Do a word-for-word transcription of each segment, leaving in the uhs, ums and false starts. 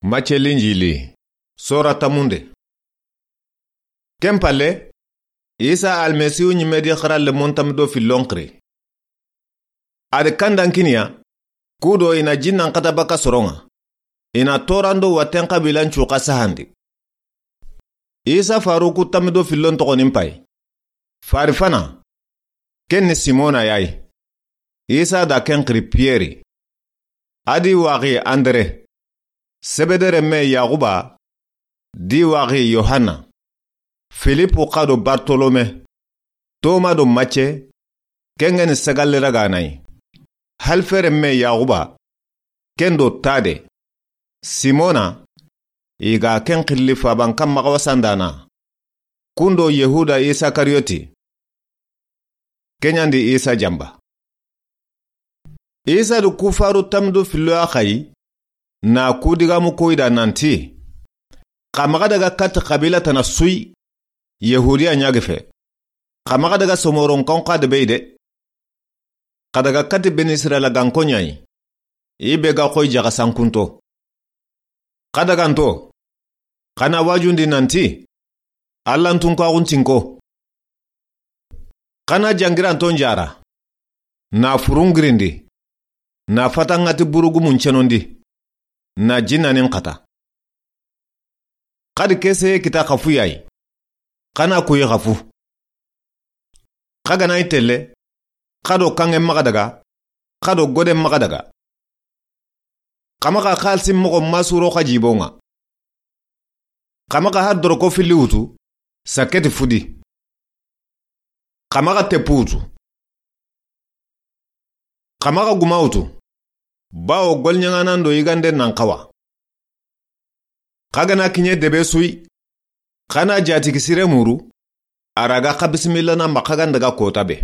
Macce Linjili, sora tamunde. Ken palle, Isa Almasihu ɲimme di xara lemon tammi do fillon xiri. A di kandan kiniya, kudo i na jinnan xata baka soron ŋa, i na toran do watten xabilan cuxa sahandi. Isa faruku tammi do fillon toxonin pay. Fari fana, ken ni Simona yayi. Isa da ken xiri Piyeri. A di waxi Andere. Sebede renme Yaxuba, di waxi Yohanna. Filipu xa do Bartolome. Toma do Macce, ken ga ni sagalli raganayi. Halfe renme Yaxuba, ken do Tade. Simona, i ga ken xilli faban kanma xawa sandana. Kundo Yehuda Isakariyoti. Keɲandi Isa jamba. Isa du kufaru tammi do fillo ya xayi, na ku digamu koyi da nanti, xa maxa daga katti xabila tana suyi, Yehudiya ɲa gefe. Xa maxa daga somoron kanxa de beyi de. Xa daga katti Beni Israila ganko ɲayi, i be ga xoyi jaxa sankunto. Xa daganto, xa na wajundi nanti, Alla n tunkaxun tinko. Xa na jangiranton jara, na furungirindi, na fatanŋati burugumun cenondi, na jinnanin xata. Xa di keseye kita xafu yayi, xa na kuyi xafu. Xa gana i telle, xa do kanŋe maxa daga, xa do gode maxa daga. Xa maxa xalisi moxo masuro xa jibon ŋa. Xa maxa har doroko filli wutu, sakketi fudi. Xa maxa teppu wutu. Xa maxa guma wutu, bawo golɲaŋanan do yigande nan xawa. Xa gana kiɲe debe suyi, xa na jatigi sire muru, a raga xa bisimilla na maxa gandaga kota be.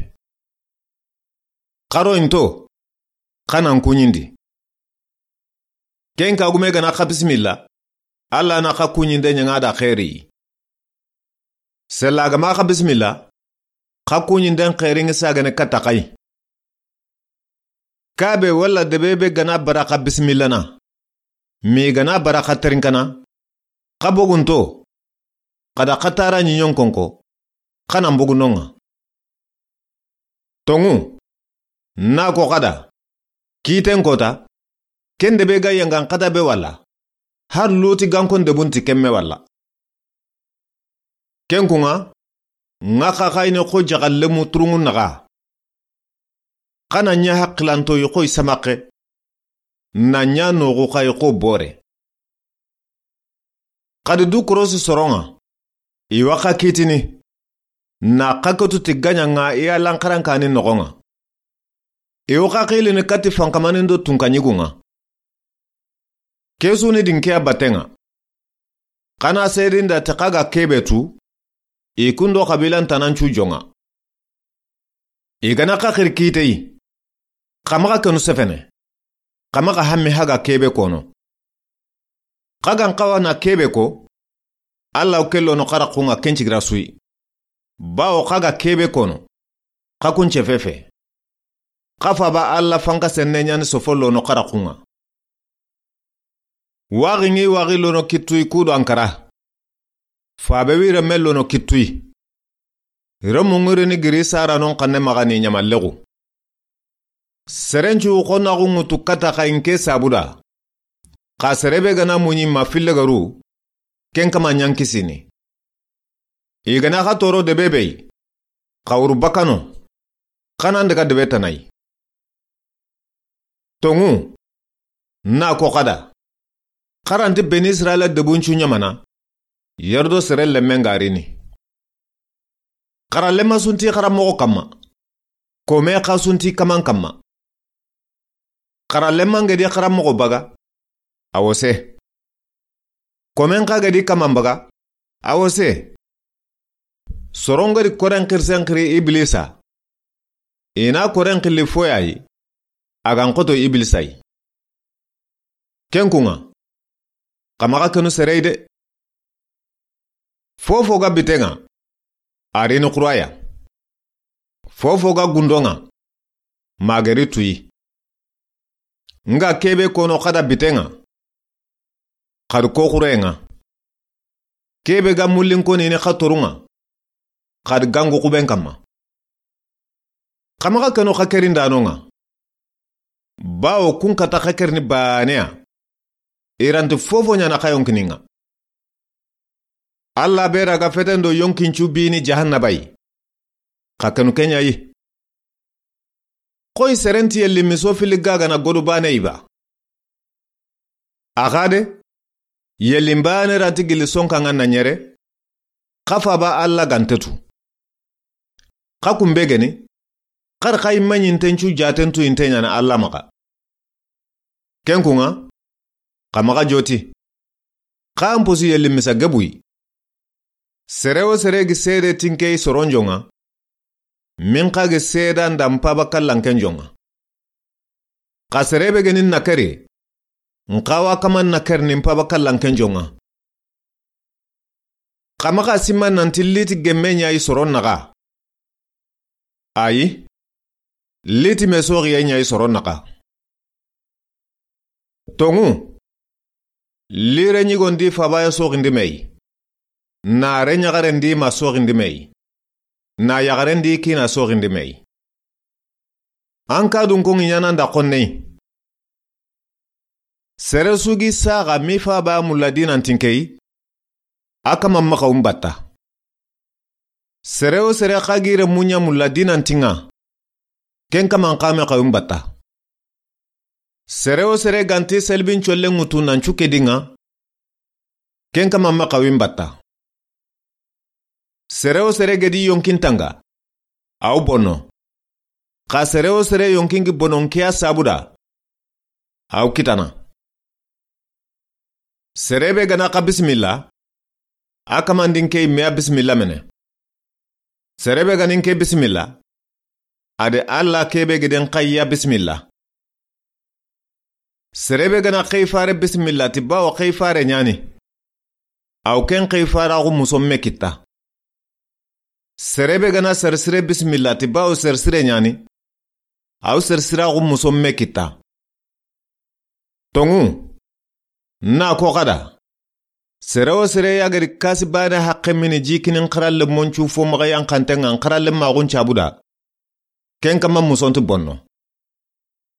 Xaro into, xa nan kuɲindi. Ken kagume gana xa bisimilla, Alla na xa kuɲinde ɲaŋa da xeeri. Sella gama xa bisimilla, xa kuɲinden xeerinŋi sagane katta xayi. Kabe walla debe be gana bara xa bisimillana, mi gana bara xa terinkana, xa bogunto, xa da xa tara ɲiɲon konko, xa nan bogu nonŋa. Tonŋu, na ko xa da, kiten kota, ken debe ga yangan xata be walla, har luti gankon debunti kemme walla. Ken kunŋa, ŋa xa xayini xo jaxallemu turunŋu naxa. Xa na ɲa haqilanto yi xo i samaxe, na ɲa noxu xa yi xo bore. Xa di du korosi soronŋa, i wa xa kitini, na xa ketu ti gaɲanŋa i ya lanxarankani noxonŋa. I wa xa xilini katti fankamanin do tunkaɲigunŋa. Kesuni dinkeya battenŋa. Xa na sedinda ti xa ga kebe tu, i kundo xabilan tanancu jonŋa. I gana xa xiri kiteyi, xa maxa kenu sefene, xa maxa hammi haga kebe kono. Xa gan xawa na kebe ko, Alla wo ke lono xaraxunŋa ken cigira suyi. Bawo xa ga kebe kono, xa kunce fefe. Xa faba Alla fanka senne ɲani sofo lono xaraxunŋa. Waxi ŋi waxi lono kittuyi kudo Ankara. Fabe wi remme lono kittuyi. Remu ŋirini giri saranon xanne maxani ɲamallexu. Serencu xo naxu ŋutu kata xayi nke sabuda. Xa serebe gana muɲi ma fillegaru, ken kama ɲankisini. I gana xa toro debe beyi, xa wuru bakano, xa nan daga debe tanayi. Tonŋu, na ko xa da, xaranti Beni Israila debuncu ɲamana, yerdo sere lemmen garini. Xara lemma sunti xara moxo kamma, kome xa sunti kaman kamma. Xara lemma ngedi xara moxo baga, a wo se. Komen xa gedi kaman baga, a wo se. Soron gedi koren xirisen xiri Ibilisa. I na koren xilli foyayi, a gan xoto Ibilisa yi. Ken kunŋa, xa maxa kenu serey de. Fofo ga bitenŋa, a rini xuraya. Fofo ga gundonŋa, mageri tuyi. Nga kebe kono xa da bitenŋa, Xa di ko xuren ŋa. Ke be ga mullin koni ni xa torun ŋa. Xa di gangu xuben kanma. Xa maxa kenu xa kerindanon ŋa. Bawo kun kata xa kerini baane ya. I ra nti fofo ɲaana xa yonkinin ŋa. Alla be ra ga feten do yonkincu bini jahannaba yi. Xa kenu ken ɲa yi. Xoyi sere nti yelli miso fili gagana godu baane yi ba. A xa de, yelli baane ra nti gilli sonkan ŋa na ɲere, xa faaba Alla ga nte tu. Xa kun be geni, xa ri xa yi ma ɲintencu jaten tu yinte ɲaana Alla maxa. Ken kun ŋa, xa maxa joti. Xa an posi yelli misa gebu yi. Sere wo sere gi seede ti n ke yi soron jon ŋa. Min xa gi seeda nda n faaba kallanken jon ŋa. Xa sere be geni n na keri. N xa wa kama n na keri ni n faaba kallanken jon ŋa. Xa maxa sima nanti liti gemme ɲa yi soron naxa. Ayi. Liti me soxiye ɲa yi soron naxa. Tonŋu. Lire ɲigon di faaba ya soxindi me yi. Naare ɲaxaren di ma soxindi me yi. Na yaxaren di kiina soxindi me yi. An ka dun ko ŋi ɲaana nda xonne yi. Sere su gi saxa mi faaba mulla di nanti n ke yi. A kama maxa wun batta. Sere wo sere xa gi renmu ɲa mulla di nanti ŋa. Ken kama n xa me xa wun batta. Sere wo sere ga nti selbin collen ŋutu nan cu ke di ŋa. Ken kama maxa wun batta. Sere wo sere gedi yonkin tanga. Aw bono. Xa sere wo sere yonkin gi bonon ke ya sabu da. Aw kitana. Sere be gana xa bisimilla. A kamandin ke yi me ya bisimilla mene. Sere be ganin ke bisimilla. A de Alla ke be geden xa yi ya bisimilla. Sere be gana xeyi fare bisimilla ti bawo xeyi fare ɲaani. Aw ken xeyi faraxu muson me kitta. Sere be gana sersire bisimilla ti bawo sersire ɲaani. Aw sersiraxu muson me kitta. Tonŋu. Na ko xa da. Sere wo sere ya gedi kasi baane haqqe mini jikinin xaralle moncu fo maxa yanxanten ŋa n xaralle maxun cabu da. Ken kama muson ti bonno.